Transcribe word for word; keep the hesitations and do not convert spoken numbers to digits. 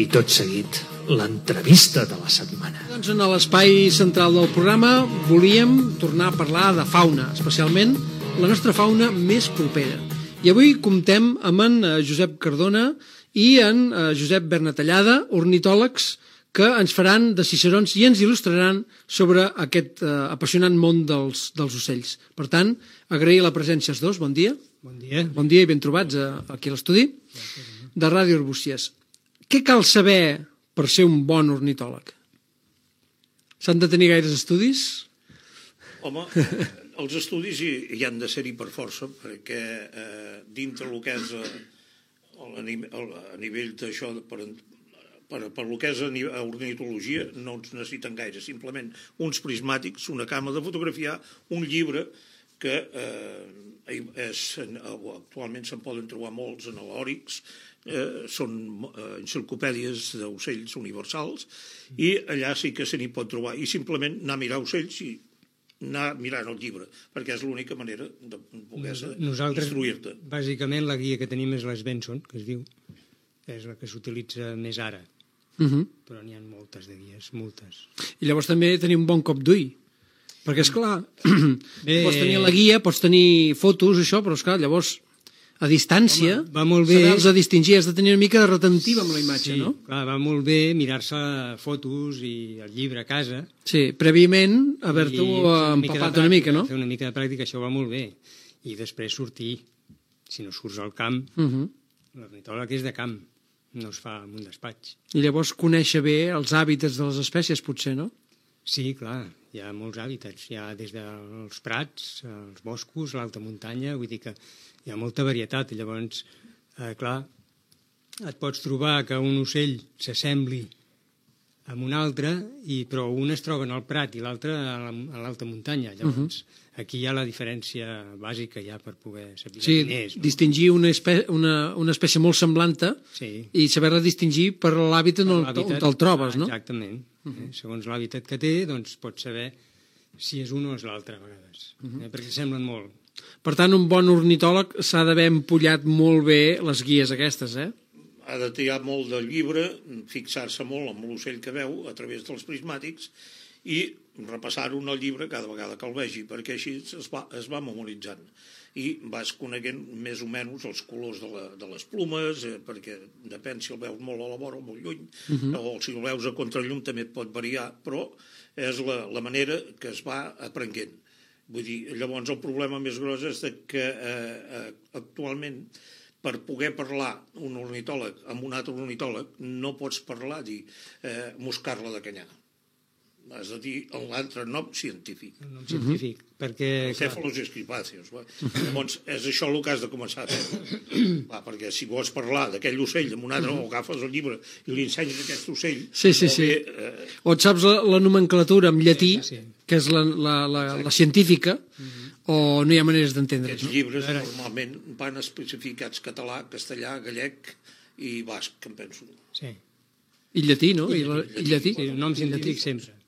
I tot seguit, l'entrevista de la setmana. Doncs en l'espai central del programa volíem tornar a parlar de fauna, especialment la nostra fauna més propera. I avui comptem amb en Josep Cardona i en Josep Bernatallada, ornitòlegs, que ens faran de cicerons i ens il·lustraran sobre aquest eh, apassionant món dels, dels ocells. Per tant, agrair la presència als dos. Bon dia. Bon dia. Bon dia i ben trobats eh, aquí a l'estudi de Ràdio Arbúcies. Què cal saber per ser un bon ornitòleg? S'han de tenir gaires estudis? Home, els estudis hi, hi han de ser-hi per força, perquè eh, dintre el que és eh, a, a nivell d'això, per, per, per lo que és a, a ornitologia, no ens necessiten gaire, simplement uns prismàtics, una cama de fotografiar, un llibre que eh, és, actualment se'n poden trobar molts analòrics, eh, són eh, enciclopèdies d'ocells universals, i allà sí que se n'hi pot trobar, i simplement anar a mirar ocells i anar mirant el llibre, perquè és l'única manera de poder instruir-te. Bàsicament, la guia que tenim és l'Svenson, que es diu, és la que s'utilitza més ara, Uh -huh. però n'hi ha moltes de guies, moltes. I llavors també tenir un bon cop d'ull, perquè, esclar, Bé... pots tenir la guia, pots tenir fotos, això, però, esclar, llavors, a distància, Home, va molt bé. saber-los a distingir, has de tenir una mica de retentiva amb la imatge, sí, no? Clar, va molt bé mirar-se fotos i el llibre a casa. Sí, prèviament haver-t'ho empapat una mica, no? Fer una mica de pràctica, això va molt bé. I després sortir, si no surts al camp, Uh -huh. l'ornitòleg és de camp, no es fa en un despatx. I llavors conèixer bé els hàbitats de les espècies, potser, no? Sí, clar, hi ha molts hàbitats. Hi ha des dels prats, els boscos, l'alta muntanya, vull dir que hi ha molta varietat. I llavors, eh, clar, et pots trobar que un ocell s'assembli amb un altre, i, però un es troba en el prat i l'altre a l'alta muntanya. Llavors, uh -huh. aquí hi ha la diferència bàsica ja per poder saber sí, quin és. No? Distingir una, espè una, una espècie molt semblanta sí. i saber-la distingir per l'hàbitat on, on te'l trobes, no? Exactament. Uh -huh. eh? Segons l'hàbitat que té, doncs pots saber si és un o és l'altre a vegades, uh -huh. eh? perquè semblen molt. Per tant, un bon ornitòleg s'ha d'haver empullat molt bé les guies aquestes, eh? Ha de triar molt del llibre, fixar-se molt amb l'ocell que veu a través dels prismàtics i repassar-ho en el llibre cada vegada que el vegi, perquè així es va, es va memoritzant i vas coneguent més o menys els colors de, la, de les plomes, eh, perquè depèn si el veus molt a la vora o molt lluny, uh -huh. o si el veus a contrallum també et pot variar, però és la, la manera que es va aprenent. Vull dir, llavors el problema més gros és que eh, eh, actualment per poder parlar un ornitòleg amb un altre ornitòleg no pots parlar, dir, eh, moscar-la de canyar. Has de dir l'altre nom científic. El nom científic, uh -huh. perquè... El cèfalos escripàceos. Llavors, és això el que has de començar a fer. Va, perquè si vols parlar d'aquell ocell amb un altre, uh -huh. o agafes el llibre i li ensenyes aquest ocell... Sí, sí, sí. Bé, eh... O et saps la, la nomenclatura en llatí, sí, sí. que és la, la, la, la científica, uh -huh. o no hi ha maneres d'entendre-ho. Aquests llibres no? normalment van especificats català, castellà, gallec i basc, em penso. Sí. I llatí, no? I, I, llatí, I llatí. Sí, el nom científic sempre.